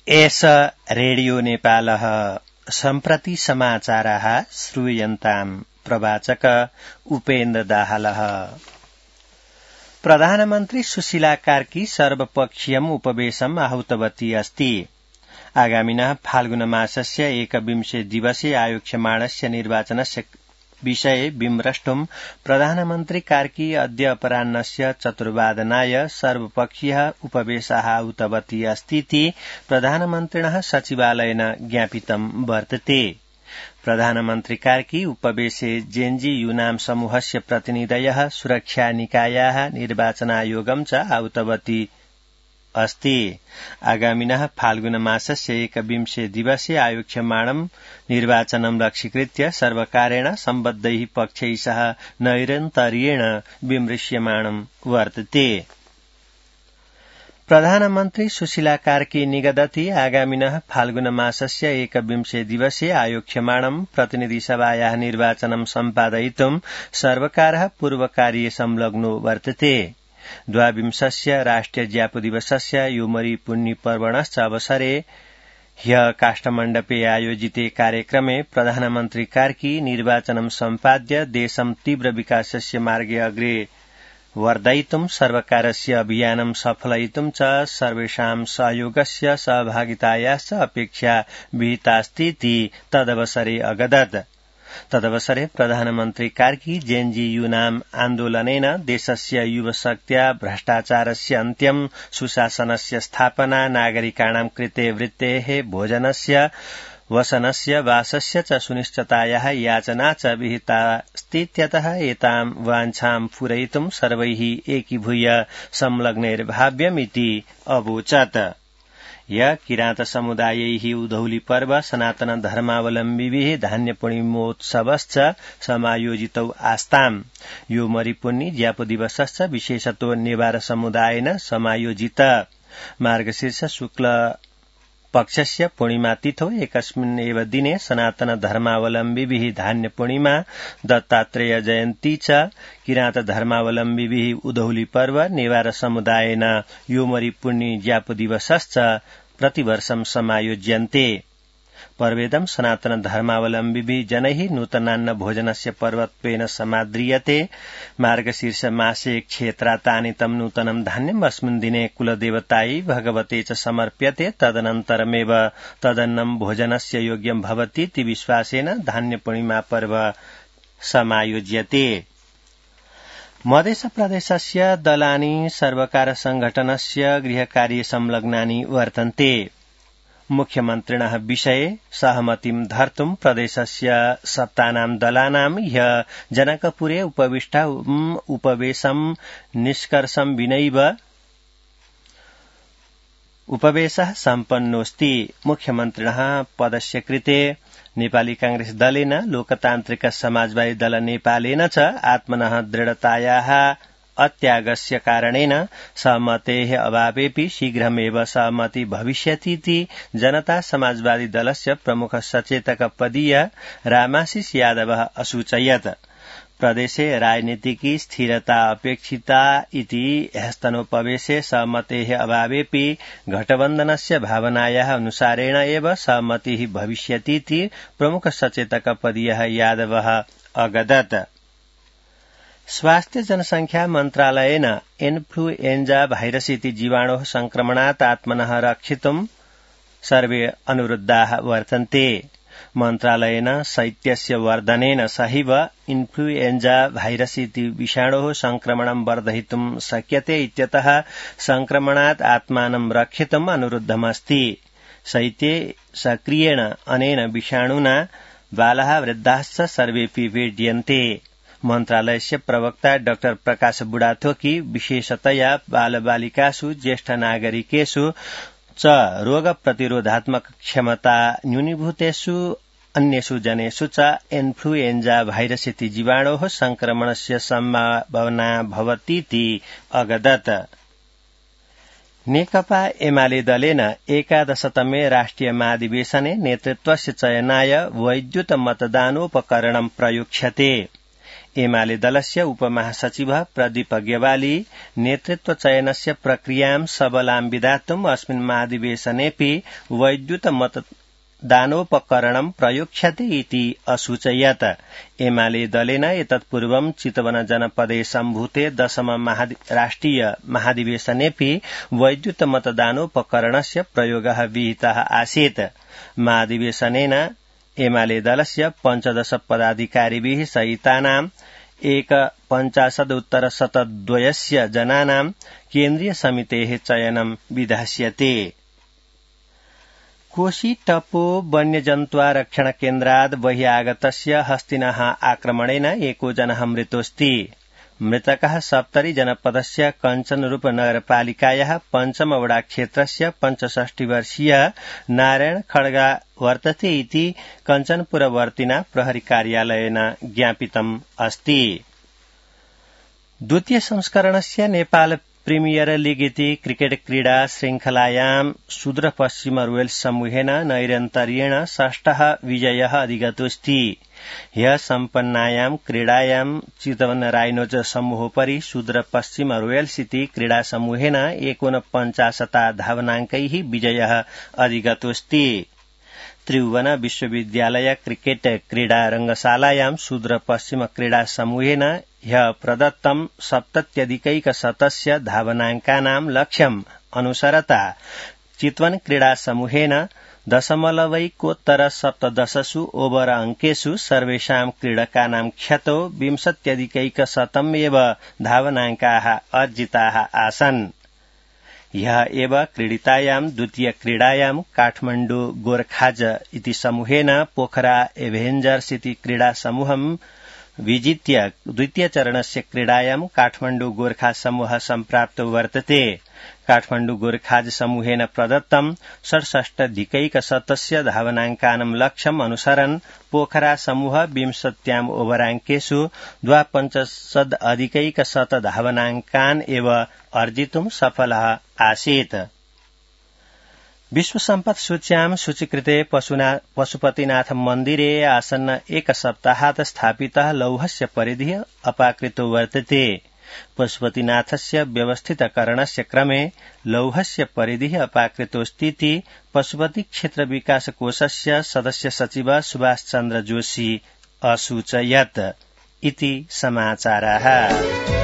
एष रेडियो नेपालः सम्प्रति समाचाराः श्रूयन्ताम् प्रवाचक उपेन्द्र दाहालः। प्रधानमन्त्री सुशीला कार्की सर्वपक्षीयम् उपवेशम् आहूतवती अस्ति। आगामिनः फाल्गुनमासस्य 21 दिवसे आयोक्ष्यमाणस्य निर्वाचनस्य विषये विमृष्टुम् प्रधानमन्त्री कार्की अद्य अपराह्नस्य 4:00 सर्वपक्षीयः उपवेशः आहूतवती अस्तीति प्रधानमन्त्रिणः सचिवालयेन ज्ञापितं वर्तते। प्रधानमन्त्री कार्की उपवेशे जेएनजी यूनाम समूहस्य प्रतिनिधयः सुरक्षा निकायाः निर्वाचनायोगं च आहूतवती अस्ति। आगामिनः फाल्गुनमासस्य 21 दिवसे आयोक्ष्यमाणं निर्वाचनं लक्ष्यीकृत्य सर्वकारेण सम्बद्धैः पक्षैः सह नैरन्तर्येण विमृश्यमाणं वर्तते। प्रधानमन्त्री सुशीला कार्की निगदति आगामिनः फाल्गुनमासस्य 21 दिवसे आयोक्ष्यमाणं प्रतिनिधिसभायाः निर्वाचनं सम्पादयितुं सर्वकारः पूर्वकार्ये संलग्नो वर्तते। 22 राष्ट्रिय ज्यापुदिवसस्य योमरी पुण्यपर्वणश्च अवसरे ह्यः काष्ठमण्डपे आयोजिते कार्यक्रमे प्रधानमन्त्री कार्की निर्वाचनं सम्पाद्य देशं तीव्र विकासस्य मार्गे अग्रे वर्धयितुं सर्वकारस्य अभियानं सफलयितुं च सर्वेषां सहयोगस्य सहभागितायाश्च अपेक्षा विहितास्तीति तदवसरे अगदत्। तदवसरे प्रधानमन्त्री कार्की जेएनजी यूनाम आन्दोलनेन देशस्य युवशक्त्या भ्रष्टाचारस्य अन्त्यं, सुशासनस्य स्थापना, नागरिकाणां कृते वृत्तेः, भोजनस्य, वसनस्य, वासस्य च सुनिश्चिततायाः याचना च विहितास्तीत्यतः एतां वाञ्छां पूरयितुं सर्वैः एकीभूय संलग्नैर्भाव्यमिति अवोचत्। य किरात समुदायैः उधौली पर्व सनातन धर्मावलम्बिभिः धान्यपूर्णिमोत्सवश्च समायोजितौ आस्ताम्। यो मरिपुन्नि ज्यापुदिवसश्च विशेषतो नेवार समुदायेन समायोजित। मार्गशीर्ष शुक्ल पक्षस्य पूर्णिमातिथौ एकस्मिन् एव दिने सनातन धर्मावलम्बिभिः धान्यपूर्णिमा, दत्तात्रेय जयन्ती च, किरात धर्मावलम्बिभिः उधौली पर्व, नेवार समुदायेन योमरी पुण्य ज्यापुदिवसश्च प्रतिवर्षं समायोज्यन्ते। पर्वेदं सनातन धर्मावलम्बिभिः जनैः नूतनान्न भोजनस्य पर्वत्वेन समाद्रियते। मार्गशीर्ष मासे क्षेत्रातानितं नूतनं धान्यम् अस्मिन् दिने कुलदेवतायै भगवते च समर्प्यते। तदनन्तरमेव तदन्नं भोजनस्य योग्यं भवतीति विश्वासेन धान्यपूर्णिमा पर्व समायोज्यते। मध्यप्रदेशस्य दलानि सर्वकार संघटनस्य गृहकार्ये संलग्नानि वर्तन्ते। मुख्यमन्त्रिणः विषये सहमतिं धर्तुं प्रदेशस्य सप्तानां दलानां ह्यः जनकपुरे उपवेशं निष्कर्षं विनैव उपवेशः सम्पन्नोऽस्ति। मुख्यमन्त्रिणः पदस्य कृते नेपाली कांग्रेस दलेन, लोकतान्त्रिक समाजवादी दल नेपालेन च आत्मनः दृढतायाः अत्यागस्य कारणेन सहमतेः अभावेपि शीघ्रमेव सहमति भविष्यतीति जनता समाजवादी दलस्य प्रमुख सचेतक पदीय रामाशिष यादवः असूचयत्। प्रदेशे राजनीतिकी स्थिरता अपेक्षिता इति ह्यस्तनोपवेशे सहमतेः अभावेपि गठबन्धनस्य भावनायाः अनुसारेण एव सहमतिः भविष्यतीति प्रमुख सचेतक पदीयः यादवः अगदत्। स्वास्थ्य जनसंख्या मन्त्रालयेन इन्फ्लुएन्जा भाइरस इति जीवाणोः संक्रमणात् आत्मनः रक्षितुं सर्वे अनुरुद्धाः वर्तन्ते। मन्त्रालयेन शैत्यस्य वर्धनेन सहैव इन्फ्लुएन्जा भाइरस इति विषाणोः संक्रमणं वर्धयितुं शक्यते इत्यतः संक्रमणात् आत्मानं रक्षितुम् अनुरुद्धमस्ति। शैत्ये सक्रियेण अनेन विषाणुना बालाः, वृद्धाश्च सर्वेऽपि पीड्यन्ते। मन्त्रालयस्य प्रवक्ता डाक्टर प्रकाश बुढाथोकी विशेषतया बालबालिकासु, ज्येष्ठ नागरिकेषु च रोग प्रतिरोधात्मक क्षमता न्यूनीभूतेषु अन्येषु जनेषु च इन्फ्लुएन्जा भाइरस इति जीवाणोः संक्रमणस्य सम्भावना भवतीति अगदत्। नेकपा एमाले दलेन 11तमे राष्ट्रिय महाधिवेशने नेतृत्वस्य चयनाय वैद्युत मतदानोपकरणं प्रयुज्यते। एमाले दलस्य उपमहासचिव प्रदीप अग्रवाली नेतृत्वचयनस्य प्रक्रियां सबलां विधातुम् अस्मिन् महाधिवेशनेऽपि वैद्युत मतदानोपकरणं प्रयोक्ष्यते इति असूचयत्। एमाले दलेन एतत्पूर्वं चितवन जनपदे सम्भूते 10 राष्ट्रिय महाधिवेशनेऽपि वैद्युत मतदानोपकरणस्य प्रयोगः विहितः आसीत्। महाधिवेशनेन एमाले दलस्य 15 पदाधिकारिभिः सहितानां 1,50,उत्तर-102 जनानां केन्द्रीय समितेः चयनं विधास्यते। कोशी टप्पो वन्यजन्तुरक्षण केन्द्रात् बहिरागतस्य हस्तिनः आक्रमणेन एको जनः मृतोऽस्ति। मृतकः सप्तरी जनपदस्य कञ्चनरूप नगरपालिकायाः पञ्चमवडा क्षेत्रस्य 65 वर्षीय नारायण खड्गा वर्तते इति कञ्चनपुरवर्तिना प्रहरी कार्यालयेन ज्ञापितम् अस्ति। द्वितीय संस्करणस्य नेपाल प्रिमियर लीग इति क्रिकेट क्रीडा श्रृंखलायां सुदूरपश्चिम रोयल्स समूहेन नैरन्तर्येण षष्ठः विजयः अधिगतोऽस्ति। ह्यः सम्पन्नायां क्रीडायां चितवन राइनोज समूहोपरि सुदूरपश्चिम रोयल्स इति क्रीडा समूहेन 49 धावनाङ्कैः विजयः अधिगतोऽस्ति। त्रिभुवन विश्वविद्यालय क्रिकेट क्रीडा रंगशालायां सुदूरपश्चिम क्रीडा समूहेन ह्यः प्रदत्तं 70+ धावनाङ्कानां लक्ष्यम् अनुसरता चितवन क्रीडा समूहेन 0.17 ओवर अंकेषु सर्वेषां क्रीडकानां ख्यातौ 20+ एव धावनाङ्काः अर्जिताः आसन्। ह्यः एव क्रीडितायां द्वितीय क्रीडायां काठमाण्डु गोर्खाज इति समूहेन पोखरा एभेञ्जर्स इति क्रीडा समूहं विजित्य द्वितीय चरणस्य क्रीडायां काठमाण्डु गोर्खा समूह सम्प्राप्तो वर्तते। काठमाण्डु गोर्खाज समूहेन प्रदत्तं 67+ धावनाङ्कानां लक्ष्यम् अनुसरन् पोखरा समूह 20 ओभराङ्केषु 52+ धावनाङ्कान् एव अर्जितुं सफलः आसीत्। विश्व सम्पत् सूच्यां सूचीकृते पशुपतिनाथ मन्दिरे आसन्न एक सप्ताहात् स्थापितः लौहस्य परिधिः अपाकृतो वर्तते। पशुपतिनाथस्य व्यवस्थितकरणस्य क्रमे लौहस्य परिधिः अपाकृतोऽस्तीति पशुपति क्षेत्र विकास कोषस्य सदस्य सचिव सुभाष चन्द्र जोशी असूचयत् इति समाचारः।